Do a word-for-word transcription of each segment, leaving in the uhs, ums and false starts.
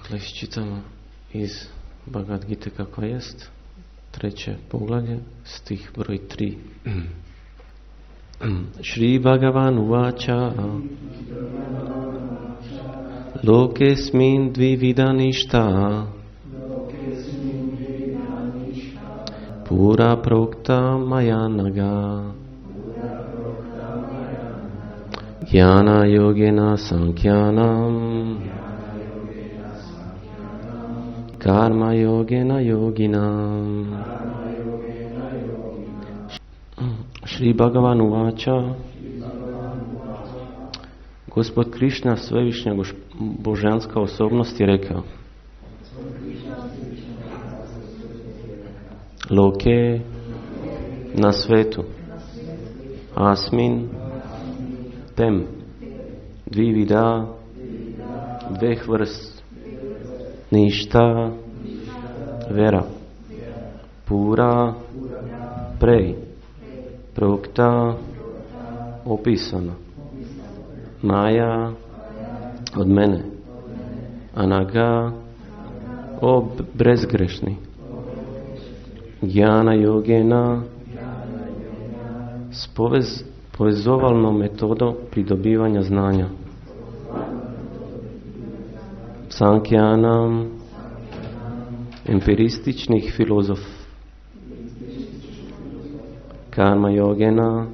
Dakle, iščitamo iz Bhagavad Gite kako jest, treće poglavlje, stih broj tri. Shri Bhagavan uvacha Lokesmin dvividanishta Pura prokta mayanaga Jnana yogena sankhyanam Karma yogena yoginam. Shri Bhagavan uvacha, Gospod Krišna, svevišnja božanska osobnost, je rekao: Loke, na svetu, asmin, tem, dvivida, dveh vrst, ništa, vera, pura, prej, prokta, opisano, maja, od mene, anaga, o brezgrešni, jnana yogena, s povez, povezovalnom metodom pridobivanja znanja, sankhyanam, empirističnih filozof, karma yogena,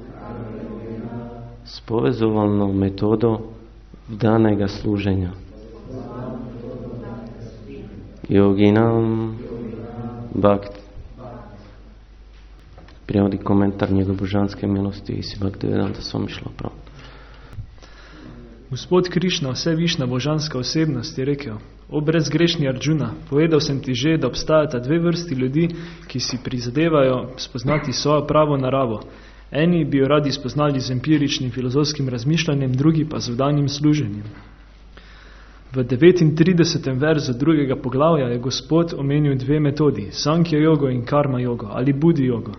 s povezovalnom metodom danega služenja, yoginam, bhakti. Prijevodi komentar njegove božanske milosti i si Bhaktivedanta Swami Srila Prabhupada. Gospod Krišna, vse višna božanska osebnost, je rekel: O brezgrešni Arjuna, povedal sem ti že, da obstajata dve vrsti ljudi, ki si prizadevajo spoznati svojo pravo naravo. Eni bi jo radi spoznali z empiričnim filozofskim razmišljanjem, drugi pa z vdanim služenjem. V devetintridesetem verzu drugega poglavja je Gospod omenil dve metodi, Sankhya jogo in Karma jogo ali Budi jogo.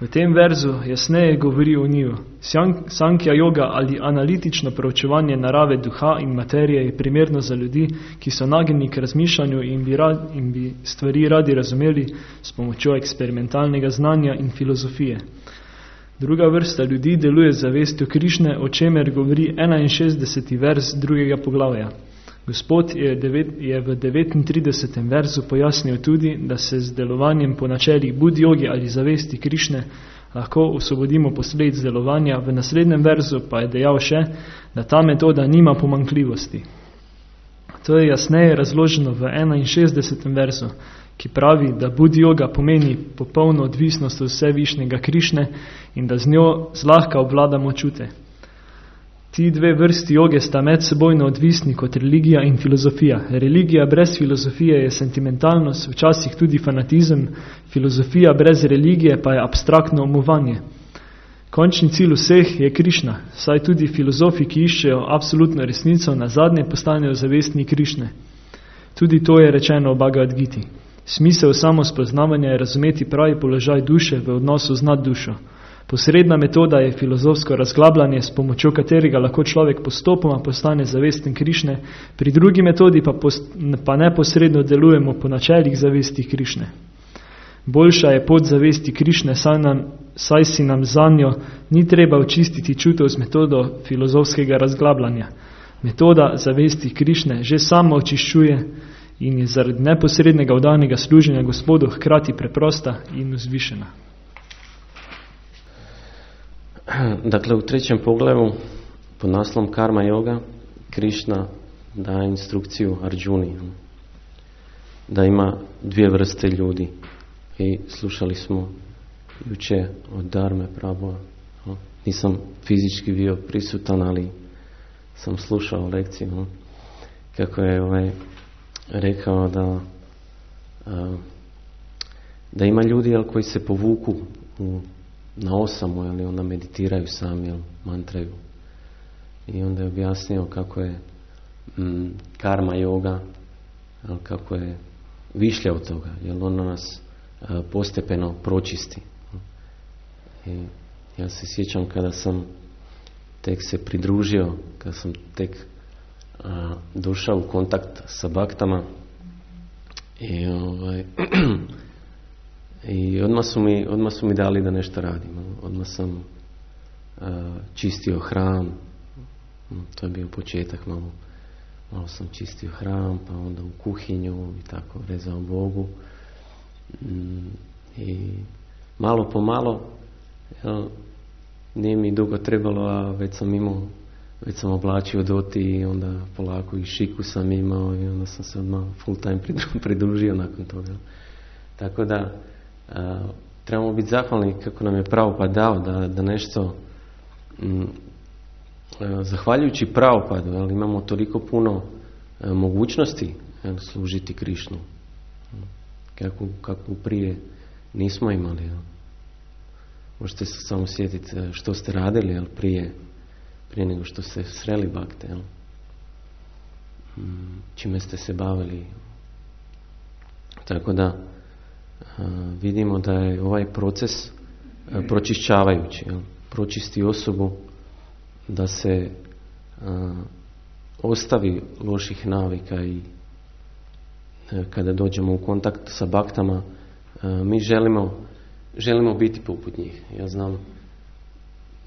V tem verzu jasneje govori o njiju. Sankhya yoga ali analitično proučevanje narave duha in materije je primerno za ljudi, ki so nagnjeni k razmišljanju in bi, rad, in bi stvari radi razumeli s pomočjo eksperimentalnega znanja in filozofije. Druga vrsta ljudi deluje z zavestjo Krišne, o čemer govori enainšestdeseti vers drugega poglavja. Gospod je, devet, je v devetintridesetem verzu pojasnil tudi, da se z delovanjem po načelih Budi jogi ali zavesti Krišne lahko osvobodimo posledic delovanja. V naslednjem verzu pa je dejal še, da ta metoda nima pomanjkljivosti. To je jasneje razloženo v enainšestdesetem verzu, ki pravi, da Budi joga pomeni popolno odvisnost od vsevišnjega Krišne in da z njo zlahka obvladamo čute. Ti dve vrsti joge sta medsebojno odvisni kot religija in filozofija. Religija brez filozofije je sentimentalnost, včasih tudi fanatizem, filozofija brez religije pa je abstraktno umovanje. Končni cilj vseh je Krišna, saj tudi filozofi, ki iščejo absolutno resnico, nazadnje postanejo zavestni Krišne. Tudi to je rečeno v Bhagavad Giti. Smisel samospoznavanja je razumeti pravi položaj duše v odnosu z naddušo. Posredna metoda je filozofsko razglabljanje, s pomočjo katerega lahko človek postopoma postane zavesten Krišne, pri drugi metodi pa, post, pa neposredno delujemo po načelih zavesti Krišne. Boljša je pot zavesti Krišne, saj, nam, saj si nam za njo ni treba očistiti čutov z metodo filozofskega razglabljanja. Metoda zavesti Krišne že sama očiščuje in je zaradi neposrednega vdanega služenja Gospodu hkrati preprosta in vzvišena. Dakle, u trećem poglavlju pod naslovom Karma yoga Krišna daje instrukciju Arjuni da ima dvije vrste ljudi i slušali smo juče od Dharme Prabhupada. Nisam fizički bio prisutan, ali sam slušao lekciju kako je ovaj rekao da da ima ljudi jel, koji se povuku u na osamu, ili onda meditiraju sami, ili mantraju. I onda je objasnio kako je mm, karma yoga, ali kako je višlja od toga, jer ono nas a, postepeno pročisti. I ja se sjećam kada sam tek se pridružio, kada sam tek a, došao u kontakt sa baktama i, ovaj, i odmah, su mi, odmah su mi dali da nešto radim. Odmah sam a, čistio hram, to je bio početak, malo, malo sam čistio hram, pa onda u kuhinju i tako rezao Bogu. I malo po malo, jel, nije mi dugo trebalo, a već sam imao, već sam oblačio doti i onda polako i šiku sam imao i onda sam se odmah full time pridružio nakon toga. Tako da a, trebamo biti zahvalni kako nam je Prabhupada dao da, da nešto m, a, zahvaljujući Prabhupadu, ali imamo toliko puno a, mogućnosti jel, služiti Krišnu kako, kako prije nismo imali. Jel. Možete se samo sjetiti što ste radili jel, prije, prije nego što ste sreli bakte. Jel. Čime ste se bavili. Tako da a, vidimo da je ovaj proces a, pročišćavajući. Jel. Pročisti osobu da se a, ostavi loših navika i a, kada dođemo u kontakt sa baktama a, mi želimo Želimo biti poput njih. Ja znam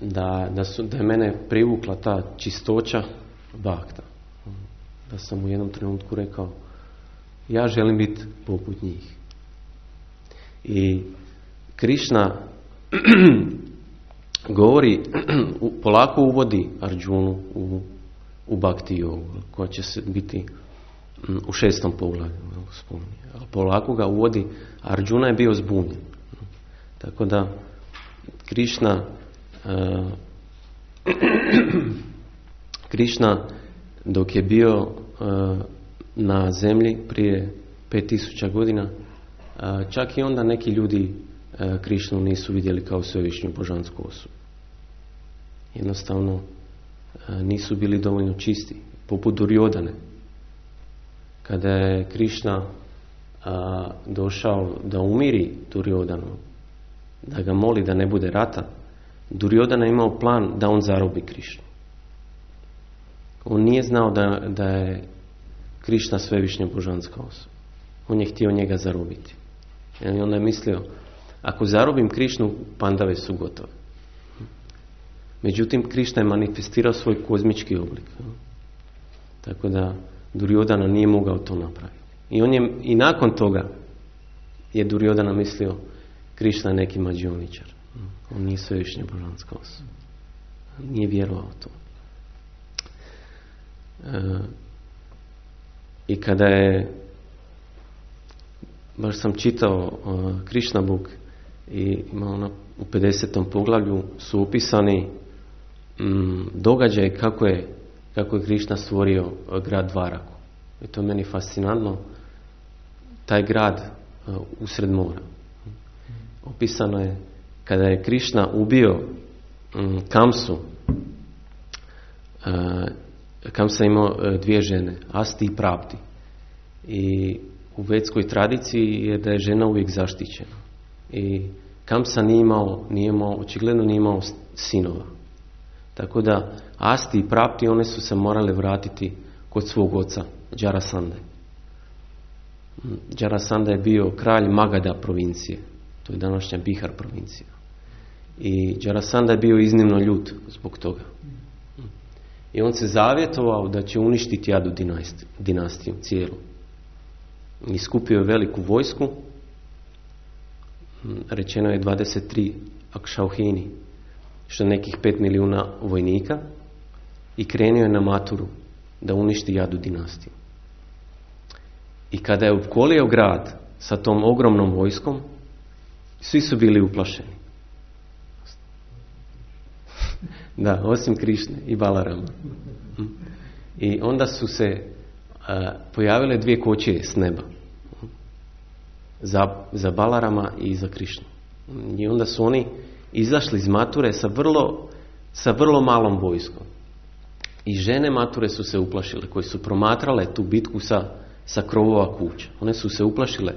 da, da, su, da je mene privukla ta čistoća bakta. Da sam u jednom trenutku rekao ja želim biti poput njih. I Krišna govori, polako uvodi Arjunu u, u Bhakti jogu, koja će se biti u šestom poglavlju. Polako ga uvodi, Arjuna je bio zbunjen. Tako da Krišna uh, Krišna dok je bio uh, na zemlji prije pet tisuća godina, uh, čak i onda neki ljudi uh, Krišnu nisu vidjeli kao svevišnju božansku osobu. Jednostavno uh, nisu bili dovoljno čisti, poput Duryodhane. Kada je Krišna uh, došao da umiri Duryodhanu, da ga moli da ne bude rata, Duryodhana je imao plan da on zarobi Krišnu. On nije znao da, da je Krišna svevišnja božanska osoba. On je htio njega zarobiti. I onda je mislio, ako zarobim Krišnu, pandave su gotove. Međutim, Krišna je manifestirao svoj kozmički oblik. Tako da Duryodhana nije mogao to napraviti. I, on je, i nakon toga je Duryodhana mislio, Krišna je neki mađioničar. On nije svevišnja božanska osoba. Nije vjerovao to. E, I kada je, baš sam čitao uh, Krishna Book i ima ona u pedesetom poglavlju su opisani um, događaj kako je, kako je Krišna stvorio uh, grad Dvaraku. I to je meni fascinantno. Taj grad uh, usred mora. Opisano je kada je Krišna ubio um, Kamsu. Uh, Kamsa imao uh, dvije žene, Asti i Prapti. I u vedskoj tradiciji je da je žena uvijek zaštićena. I Kamsa nije imao, nije imao, očigledno nije imao sinova. Tako da Asti i Prapti, one su se morale vratiti kod svog oca, Jarasande. Jarasanda je bio kralj Magadha provincije. To je današnja Bihar provincija. I Jarasanda je bio iznimno ljut zbog toga. I on se zavjetovao da će uništiti Jadu dinastiju, dinastiju cijelu. I skupio je veliku vojsku. Rečeno je dvadeset tri akšauhini, što je nekih pet milijuna vojnika. I krenio je na Maturu da uništi Jadu dinastiju. I kada je opkolio grad sa tom ogromnom vojskom, svi su bili uplašeni. Da, osim Krišne i Balarama. I onda su se a, pojavile dvije kočije s neba. Za, za Balarama i za Krišnu. I onda su oni izašli iz Mature sa vrlo, sa vrlo malom vojskom. I žene Mature su se uplašile, koje su promatrale tu bitku sa, sa krovova kuća. One su se uplašile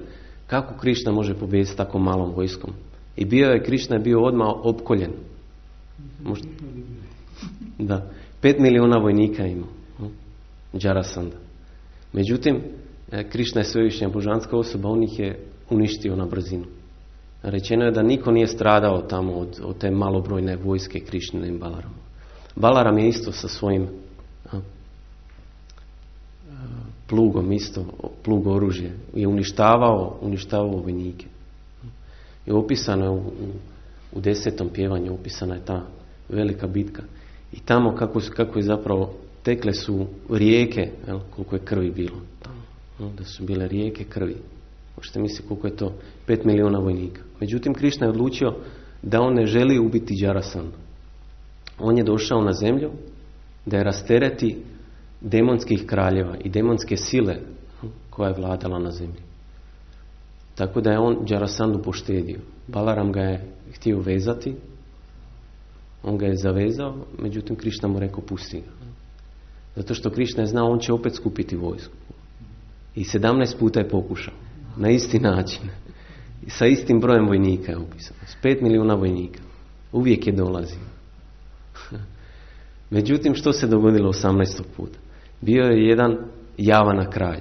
kako Krišna može pobijediti tako malom vojskom. I bio je, Krišna je bio odmah opkoljen. Možda, da, pet milijuna vojnika ima. Jarasandha. Međutim, Krišna je svevišnja božanska osoba, on ih je uništio na brzinu. Rečeno je da niko nije stradao tamo od, od te malobrojne vojske Krišnine i Balarama. Balaram je isto sa svojim a, plugom, isto plug oružje, je uništavao, uništavao vojnike. I opisano je u, u, u desetom pjevanju, opisana je ta velika bitka. I tamo kako, kako je zapravo tekle su rijeke, jel, koliko je krvi bilo tamo. Da su bile rijeke krvi. Možete misliti koliko je to? Pet milijuna vojnika. Međutim, Krišna je odlučio da on ne želi ubiti Jarasandhu. On je došao na zemlju da je rastereti demonskih kraljeva i demonske sile koja je vladala na zemlji. Tako da je on Jarasandhu poštedio. Balaram ga je htio vezati, on ga je zavezao, međutim Krišna mu rekao pusti ga. Zato što Krišna je znao on će opet skupiti vojsku. I sedamnaest puta je pokušao. Na isti način. I sa istim brojem vojnika je opisano. S pet milijuna vojnika. Uvijek je dolazio. Međutim, što se dogodilo osamnaestog puta? Bio je jedan Javana kralj.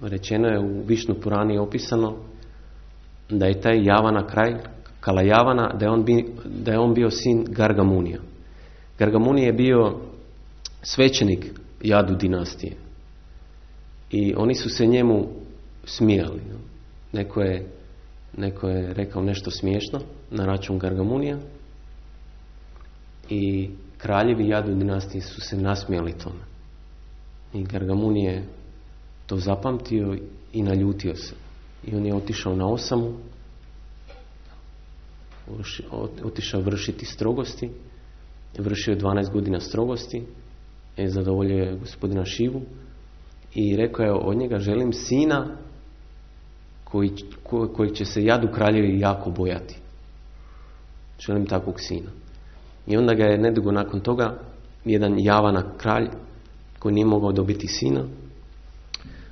Rečeno je u Višnu Purani opisano da je taj Javana kralj, Kala Javana, da je on, bi, da je on bio sin Gargamunija. Gargamunija je bio svećenik Jadu dinastije. I oni su se njemu smijali. Neko je, neko je rekao nešto smiješno na račun Gargamunija i kraljevi Jadu dinastije su se nasmijali tome. I Gargamun je to zapamtio i naljutio se. I on je otišao na osamu, otišao vršiti strogosti, vršio je dvanaest godina strogosti, je zadovoljio gospodina Šivu i rekao je od njega želim sina koji, ko, koji će se Jadu kraljevi jako bojati. Želim takvog sina. I onda ga je nedugo nakon toga jedan Javana kralj koji nije mogao dobiti sina,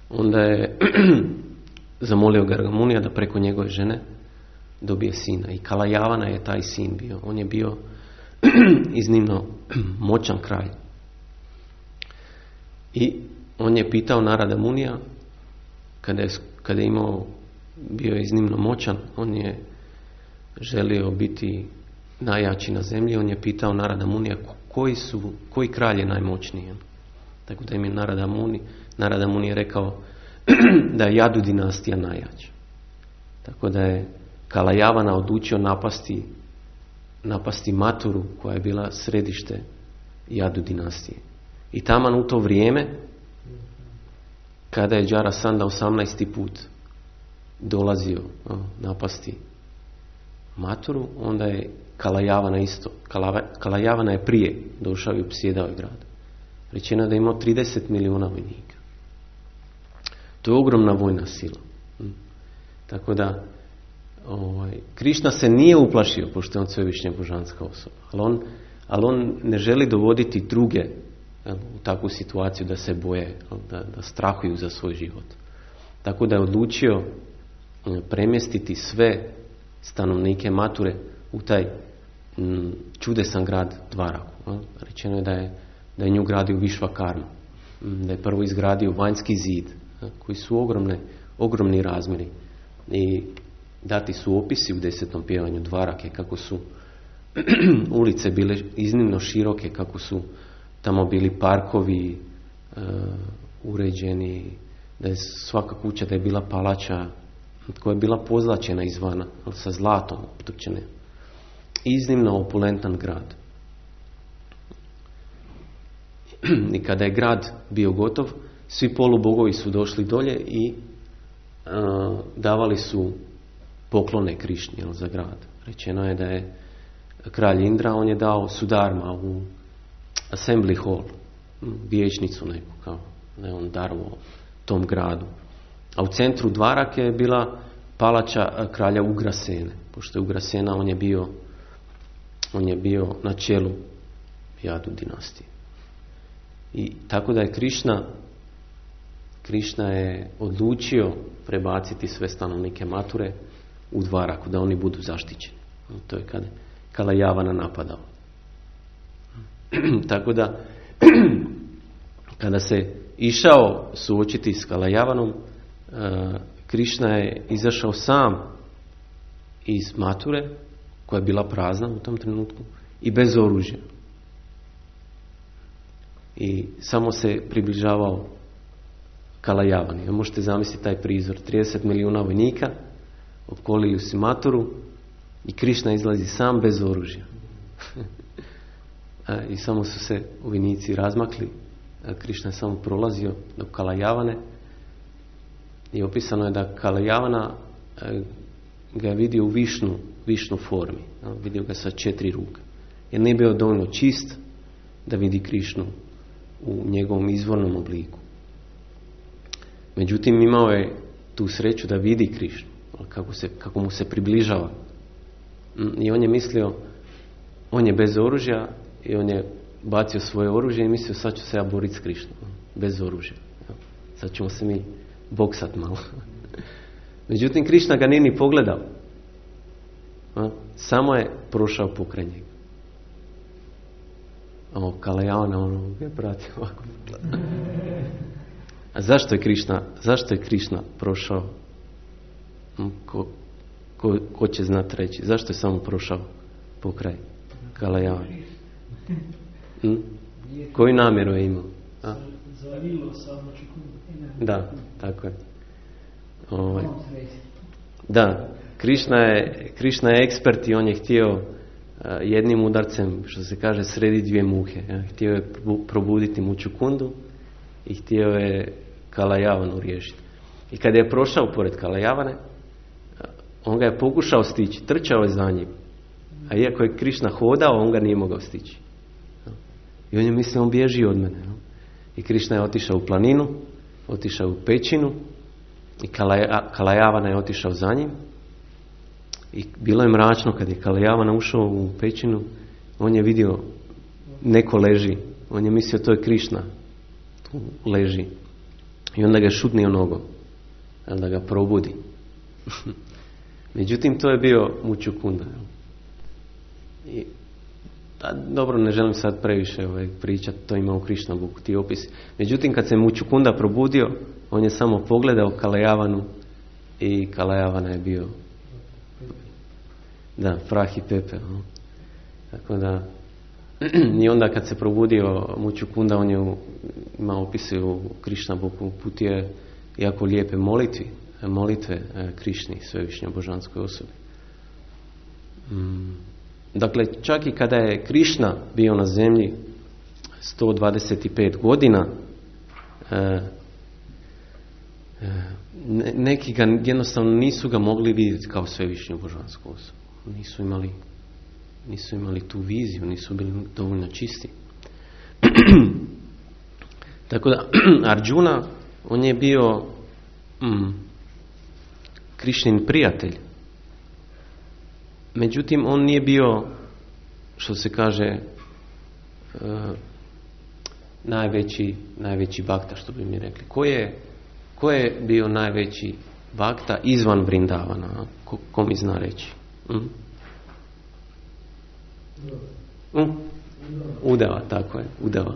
onda je zamolio Gargamunija da preko njegove žene dobije sina. I Kala Javana je taj sin bio. On je bio iznimno moćan kralj. I on je pitao Narada Munija, kada je, kada je imao, bio je iznimno moćan, on je želio biti najjači na zemlji, on je pitao Narada Munija koji su, koji kralj je najmoćniji. Tako da im je Narada Muni, Narada Muni je rekao da je Jadu dinastija najjača. Tako da je Kala Javana odlučio napasti, napasti Maturu koja je bila središte Jadu dinastije. I taman u to vrijeme kada je Jarasandha osamnaesti put dolazio o, napasti Maturu, onda je Kala Javana isto. Kala, Kala Javana je prije došao i opsjedao je grad. Rečeno je da je imao trideset milijuna vojnika. To je ogromna vojna sila. Tako da ovaj, Krišna se nije uplašio, pošto je on svevišnja božanska osoba. Ali on, ali on ne želi dovoditi druge u takvu situaciju da se boje, da, da strahuju za svoj život. Tako da je odlučio premjestiti sve stanovnike Mature u taj m, čudesan grad Dvaraku. Rečeno je da je, da je nju gradio Višvakarma. Da je prvo izgradio vanjski zid, koji su ogromne, ogromni razmjeri. I dati su opisi u desetom pjevanju Dvarake, kako su ulice bile iznimno široke, kako su tamo bili parkovi uh, uređeni, da je svaka kuća da je bila palača koja je bila pozlačena izvana, sa zlatom optočene. Iznimno opulentan grad. I kada je grad bio gotov, svi polubogovi su došli dolje i uh, davali su poklone Krišni, jel, za grad. Rečeno je da je kralj Indra, on je dao Sudarma u Assembly Hall, vijećnicu neku, kao da je on darovao tom gradu. A u centru Dvarake je bila palača kralja Ugrasene, pošto je Ugrasena, on je bio, on je bio na čelu Jadu dinastije. I tako da je Krišna, Krišna je odlučio prebaciti sve stanovnike Mature u Dvaraku, da oni budu zaštićeni. To je kada Kala Javana napadao. Tako da kada se išao suočiti s Kalajavanom, Krišna je izašao sam iz Mature, koja je bila prazna u tom trenutku, i bez oružja. I samo se približavao Kalajavani. Možete zamisliti taj prizor. trideset milijuna vojnika opkolili su Maturu i Krišna izlazi sam bez oružja. I samo su se vojnici razmakli. Krišna je samo prolazio do Kalajavane i opisano je da Kalajavana ga je vidio u višnu, višnu formi. Vidio ga sa četiri ruke. Jer nije bio dovoljno čist da vidi Krišnu u njegovom izvornom obliku. Međutim, imao je tu sreću da vidi Krišnu, kako, se, kako mu se približava. I on je mislio, on je bez oružja i on je bacio svoje oružje i mislio, sad ću se ja boriti s Krišnom, bez oružja. Sad ćemo se mi boksat malo. Međutim, Krišna ga nije ni pogledao. Samo je prošao pokraj njega. O, Kalajavana, ono je pratio ovako. A zašto je Krišna, zašto je Krišna prošao? Ko, ko, ko će znati reći? Zašto je samo prošao pokraj Kalajavana? Hm? Koju namjeru je imao? A? Da, tako je. Ovaj. Da, Krišna je, Krišna je ekspert i on je htio jednim udarcem, što se kaže, sredi dvije muhe. Htio je probuditi Mučukundu i htio je Kalajavanu riješiti. I kada je prošao pored Kalajavane, on ga je pokušao stići, trčao je za njim. A iako je Krišna hodao, on ga nije mogao stići. I on je mislio, on bježi od mene. I Krišna je otišao u planinu, otišao u pećinu i Kalajavana je otišao za njim. I bilo je mračno kad je Kalajavana ušao u pećinu, on je vidio neko leži, on je mislio to je Krišna, tu leži. I onda ga je šutnio nogom, da ga probudi. Međutim, to je bio Mučukunda. I, da, dobro, ne želim sad previše ovaj, pričati, to ima u Krišna Buku, ti opisi. Međutim, kad se Mučukunda probudio, on je samo pogledao Kalajavanu i Kalajavana je bio da, prah i pepel. No. Tako da, i onda kad se probudio Mučukunda, on je imao opise u Krišna Buku, uputio jako lijepe molitvi, molitve Krišni, svevišnjoj božanskoj osobi. Mm. Dakle, čak i kada je Krišna bio na zemlji sto dvadeset pet godina, e, e, neki ga jednostavno nisu ga mogli vidjeti kao svevišnju božansku osobu. Nisu imali, nisu imali tu viziju, nisu bili dovoljno čisti. Tako da, Arjuna, on je bio mm, Krišnin prijatelj. Međutim, on nije bio, što se kaže, uh, najveći, najveći bakta, što bi mi rekli. Ko je, ko je bio najveći bakta izvan Vrindavana? Ko, ko mi zna reći? Mm? Mm? Udava, tako je, Udava.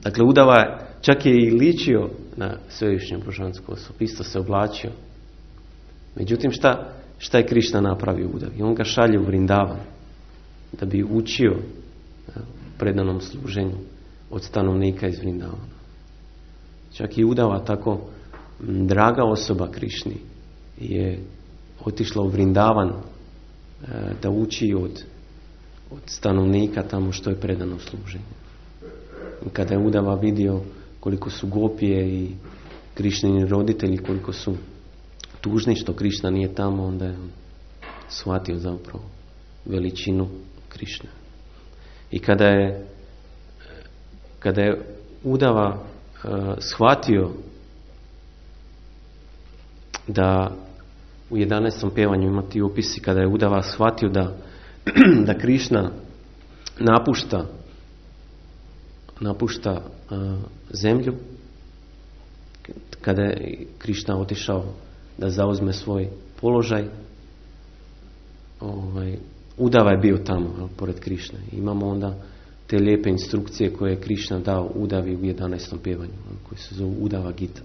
Dakle, Udava čak je i ličio na svevišnju božansku osobu, isto se oblačio. Međutim, šta, šta je Krišna napravio Udavi? On ga šalje u Vrindavan da bi učio predanom služenju od stanovnika iz Vrindavana. Čak i Udava, tako draga osoba Krišni, je otišla u Vrindavan da uči od, od stanovnika tamo što je predano služenje. I kada je Udava vidio koliko su gopije i Krišnini roditelji, koliko su tužni što Krišna nije tamo, onda je shvatio zapravo veličinu Krišne. I kada je kada je Udava uh, shvatio da u jedanaestom pjevanju ima ti opisi, kada je Udava shvatio da, da Krišna napušta napušta uh, zemlju, kada je Krišna otišao da zauzme svoj položaj, ovaj, Udava je bio tamo, pored Krišne. Imamo onda te lijepe instrukcije koje je Krišna dao Udavi u jedanaestom pjevanju, koji se zove Udava Gita,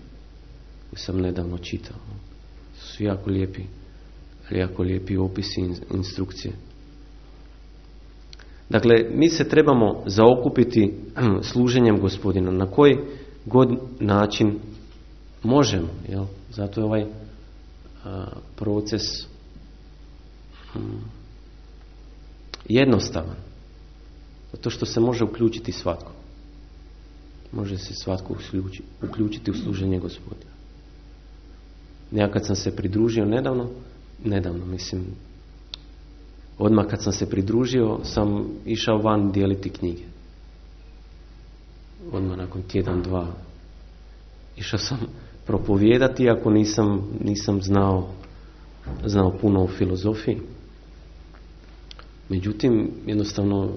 koji sam nedavno čitao. Su jako lijepi, jako lijepi opisi instrukcije. Dakle, mi se trebamo zaokupiti služenjem Gospodina na koji god način možemo. Jel? Zato je ovaj a, proces hm, jednostavan. Zato što se može uključiti svatko. Može se svatko uključiti u služenje Gospodina. Ja kad sam se pridružio nedavno, nedavno mislim, odmah kad sam se pridružio sam išao van dijeliti knjige. Odmah nakon tjedan, dva. Išao sam propovijedati, iako nisam, nisam znao, znao puno o filozofiji. Međutim, jednostavno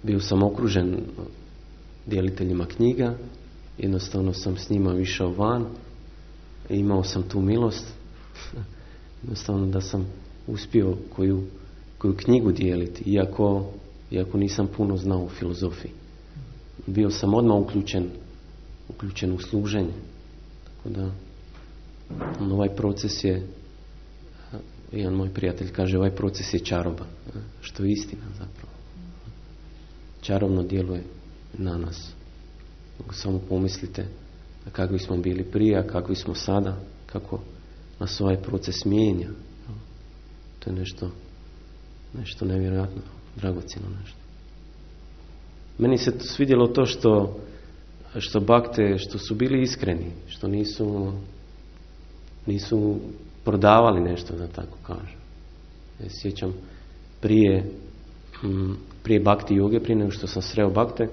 bio sam okružen djeliteljima knjiga, jednostavno sam s njima išao van i imao sam tu milost, jednostavno da sam uspio koju, koju knjigu dijeliti, iako, iako nisam puno znao o filozofiji. Bio sam odmah uključen, uključen u služenje. Tako da, ovaj proces je, jedan moj prijatelj kaže, ovaj proces je čaroba, što je istina zapravo. Čarobno djeluje na nas. Samo pomislite kakvi smo bili prije, a kakvi smo sada, kako nas ovaj proces mijenja. To je nešto, nešto nevjerojatno, dragocjeno nešto. Meni se svidjelo to što, što bakte, što su bili iskreni, što nisu, nisu prodavali nešto, da tako kažem. Ja se sjećam prije, prije bakti joge, prije nego što sam sreo bakte,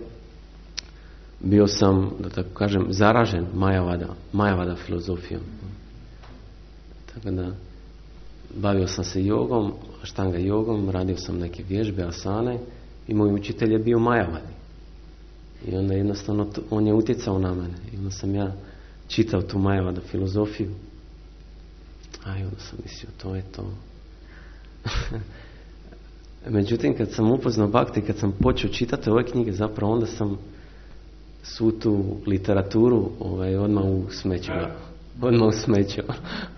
bio sam, da tako kažem, zaražen Majavada, Majavada filozofijom. Tako da, bavio sam se jogom, štanga jogom, radio sam neke vježbe, asane i moj učitelj je bio Majavadi. I onda jednostavno to, on je utjecao na mene. I onda sam ja čitao tu Majavada filozofiju. A i onda sam mislio, to je to. Međutim, kad sam upoznao Bhakti, kad sam počeo čitati ove knjige, zapravo onda sam svu tu literaturu ovaj, odmah u smeću. Odmah u smeću.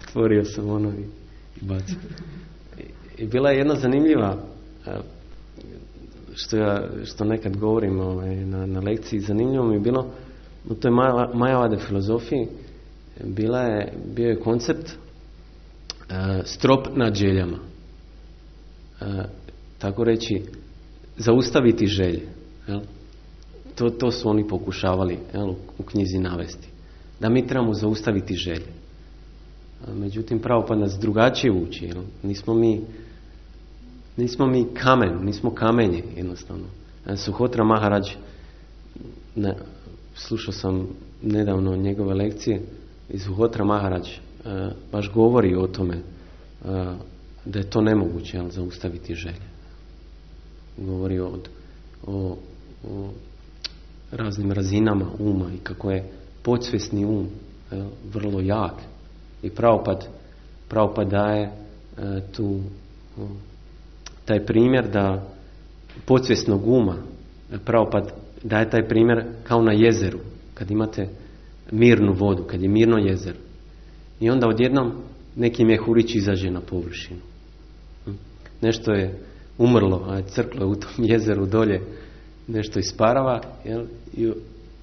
Otvorio sam ono i, i bacio. I, I bila je jedna zanimljiva, što ja što nekad govorim ovaj, na, na lekciji, zanimljivo mi je bilo u toj Majavade filozofiji bila je, bio je koncept uh, strop nad željama. Uh, tako reći, zaustaviti želje. Jel? To, to su oni pokušavali, jel, u knjizi navesti. Da mi trebamo zaustaviti želje. Međutim, Prabhupada nas drugačije uči. Jel? Nismo mi nismo mi kamen, nismo kamenje jednostavno. Suhotra Maharaj, ne, slušao sam nedavno njegove lekcije, i Suhotra Maharaj e, baš govori o tome e, da je to nemoguće, jel, zaustaviti želje. Govori o, o, o raznim razinama uma i kako je podsvjesni um jel, vrlo jak. I Prabhupada Prabhupada daje e, tu o, taj primjer da podsvjesnog uma, Prabhupada daje taj primjer kao na jezeru, kad imate mirnu vodu, kad je mirno jezero. I onda odjednom neki mjehurić izađe na površinu. Nešto je umrlo, a crklo je u tom jezeru dolje, nešto isparava, jel? I,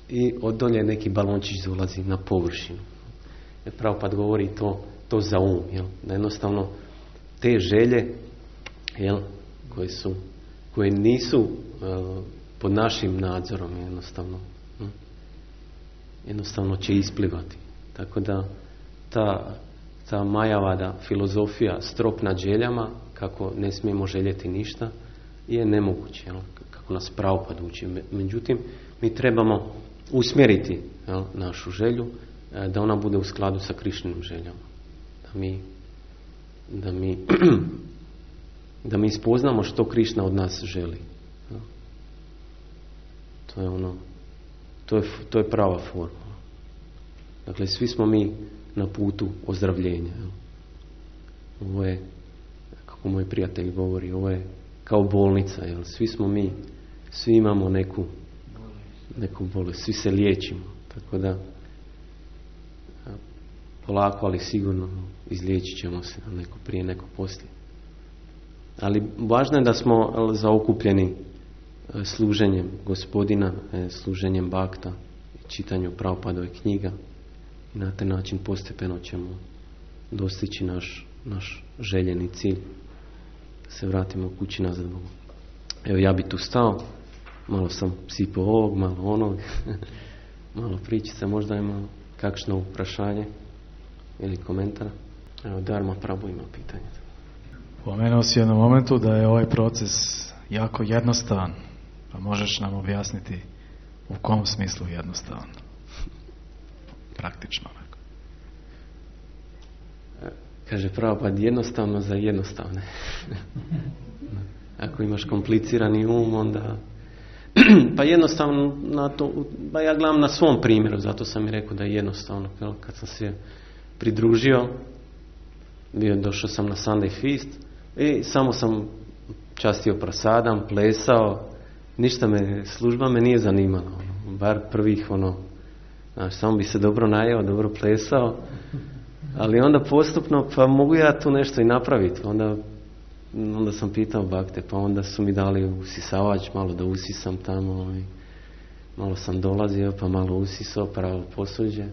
i od dolje neki balončić dolazi na površinu. Jer Prabhupada govori to, to za um, jel? Da jednostavno te želje, jel, koje su, koje nisu uh, pod našim nadzorom, jednostavno hm? jednostavno će isplivati. Tako da ta, ta Majavada filozofija strop nad željama, kako ne smijemo željeti ništa, je nemoguće, jel? Kako nas Prabhupada uči. Međutim, mi trebamo usmjeriti, jel, našu želju da ona bude u skladu sa Krišninim željama. Da mi da mi da mi spoznamo što Krišna od nas želi. To je ono, to je, to je prava forma. Dakle, svi smo mi na putu ozdravljenja. Ovo je, kako moj prijatelj govori, ovo je kao bolnica. Jel? Svi smo mi svi imamo neku, neku bolest, svi se liječimo. Tako da polako, ali sigurno izliječit ćemo se, neko prije, neko poslije. Ali važno je da smo zaokupljeni služenjem Gospodina, služenjem bakta, čitanju Prabhupadove knjiga i na taj način postepeno ćemo dostići naš, naš željeni cilj, da se vratimo kući nazad Bogu. Evo, ja bi tu stao, malo sam sipao ovog, malo onog, malo pričica, možda ima kakšno uprašanje ili komentar. Evo, Dharma Prabhu ima pitanje. Pomenuo si u jednom momentu da je ovaj proces jako jednostavan, pa možeš nam objasniti u kom smislu jednostavan? Praktično. Kaže Prabhupada, jednostavno za jednostavne. Ako imaš komplicirani um, onda... pa jednostavno, na to, pa ja gledam na svom primjeru, zato sam i rekao da je jednostavno. Kad sam se pridružio, bio, došao sam na Sunday Feast i samo sam častio prasadam, plesao, ništa me, služba me nije zanimala. Bar prvih, ono, znaš, samo bi se dobro najeo, dobro plesao, ali onda postupno, pa mogu ja tu nešto i napraviti. Onda, onda sam pitao bakte, pa onda su mi dali usisavač, malo da usisam tamo, i malo sam dolazio, pa malo usisao, pravo posuđe.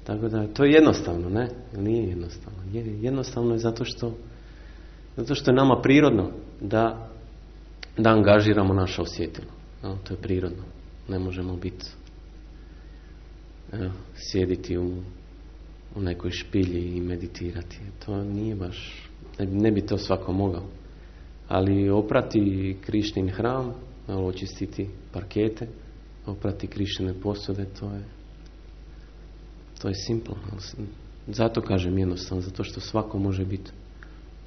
Tako da, to je jednostavno, ne? Nije jednostavno. Jednostavno je zato što, zato što je nama prirodno da, da angažiramo naše osjetilo. No, to je prirodno. Ne možemo biti, evo, sjediti u, u nekoj špilji i meditirati. To nije baš, ne, ne bi to svako mogao. Ali oprati Krišnin hram, očistiti parkete, oprati Krišnine posude, to je to je simplo. Zato kažem jednostavno, zato što svako može biti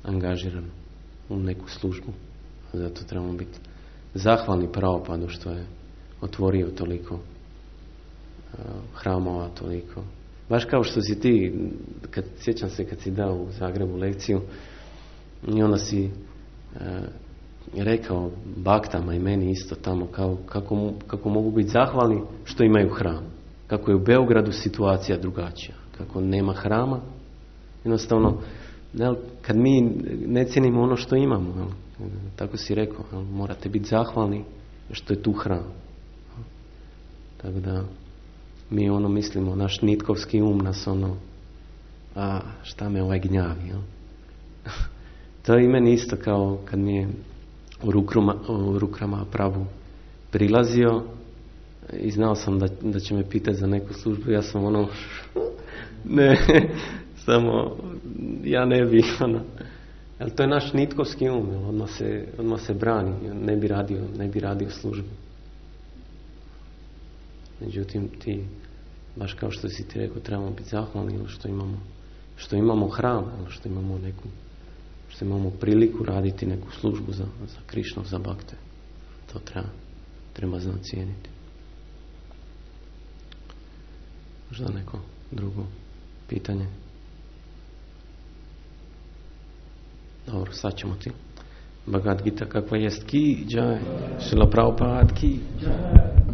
angažiran u neku službu. Zato trebamo biti zahvalni Prabhupadu što je otvorio toliko uh, hramova, toliko. Baš kao što si ti, kad, sjećam se kad si dao u Zagrebu lekciju i onda si uh, rekao baktama i meni isto tamo kao, kako, kako mogu biti zahvalni što imaju hram. Kako je u Beogradu situacija drugačija. Kako nema hrama. Jednostavno, jel, kad mi ne cijenimo ono što imamo, jel, tako si rekao, jel, morate biti zahvalni što je tu hram. Jel. Tako da mi ono mislimo, naš nitkovski um nas ono, a šta me ovaj gnjavi. Jel. To je i meni isto kao kad mi je u, rukruma, u rukrama Prabhu prilazio i znao sam da, da će me pitati za neku službu, ja sam ono ne, samo ja ne bi ono, ali to je naš nitkovski um, odmah se, odmah se brani, ne bi radio, ne bi radio službu. Međutim, ti, baš kao što si ti rekao, trebamo biti zahvalni što imamo, što imamo hram, što imamo neku, što imamo priliku raditi neku službu za, za Krišnu, za bakte. To treba, treba znati cijeniti. Možda neko drugo pitanje? Dobro, sad ćemo ti. Bhagavad Gita kakva jest ki, džaj. Šrila Prabhupada ki, džaj.